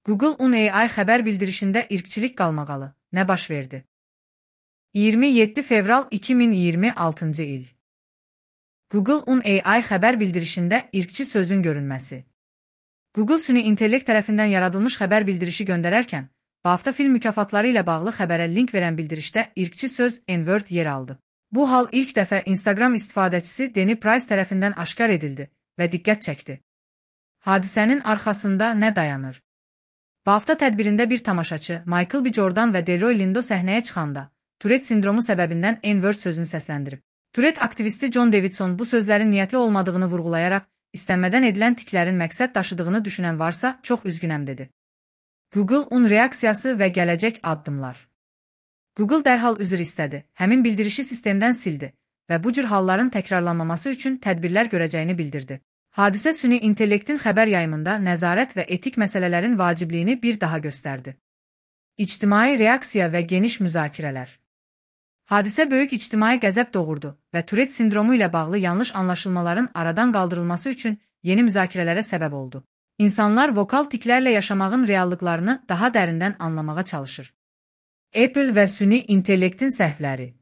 Google OpenAI xəbər bildirişində irqçilik qalmaqalı. Nə baş verdi? 27 fevral 2026-cı il. Google OpenAI xəbər bildirişində irqçi sözün görünməsi. Google süni intellekt tərəfindən yaradılmış xəbər bildirişi göndərərkən, BAFTA film mükafatları ilə bağlı xəbərə link verən bildirişdə irqçi söz N-word yer aldı. Bu hal ilk dəfə Instagram istifadəçisi Danny Price tərəfindən aşkar edildi və diqqət çəkdi. Hadisənin arxasında nə dayanır? BAFTA tədbirində bir tamaşaçı Michael B. Jordan və Delroy Lindo səhnəyə çıxanda Tourette sindromu səbəbindən N-word sözünü səsləndirib. Tourette aktivisti John Davidson bu sözlərin niyyətli olmadığını vurğulayaraq, istənmədən edilən tiklərin məqsəd daşıdığını düşünən varsa, çox üzgünəm dedi. Google-un reaksiyası və gələcək addımlar. Google dərhal üzr istədi, həmin bildirişi sistemdən sildi və bu cür halların təkrarlanmaması üçün tədbirlər görəcəyini bildirdi. Hadisə süni intellektin xəbər yayımında nəzarət və etik məsələlərin vacibliyini bir daha göstərdi. İctimai reaksiya və geniş müzakirələr. Hadisə böyük ictimai qəzəb doğurdu və Tourette sindromu ilə bağlı yanlış anlaşılmaların aradan qaldırılması üçün yeni müzakirələrə səbəb oldu. İnsanlar vokal tiklərlə yaşamağın reallıqlarını daha dərindən anlamağa çalışır. Apple və süni intellektin səhvləri.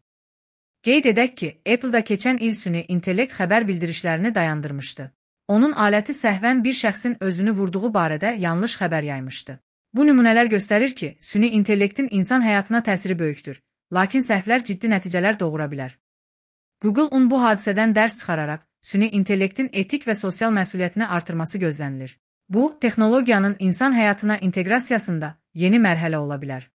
Qeyd edək ki, Apple-da keçən il süni intellekt xəbər bildirişlərini dayandırmışdı. Onun aləti səhvən bir şəxsin özünü vurduğu barədə yanlış xəbər yaymışdı. Bu nümunələr göstərir ki, süni intellektin insan həyatına təsiri böyükdür, lakin səhvlər ciddi nəticələr doğura bilər. Google-un bu hadisədən dərs çıxararaq, süni intellektin etik və sosial məsuliyyətini artırması gözlənilir. Bu, texnologiyanın insan həyatına inteqrasiyasında yeni mərhələ ola bilər.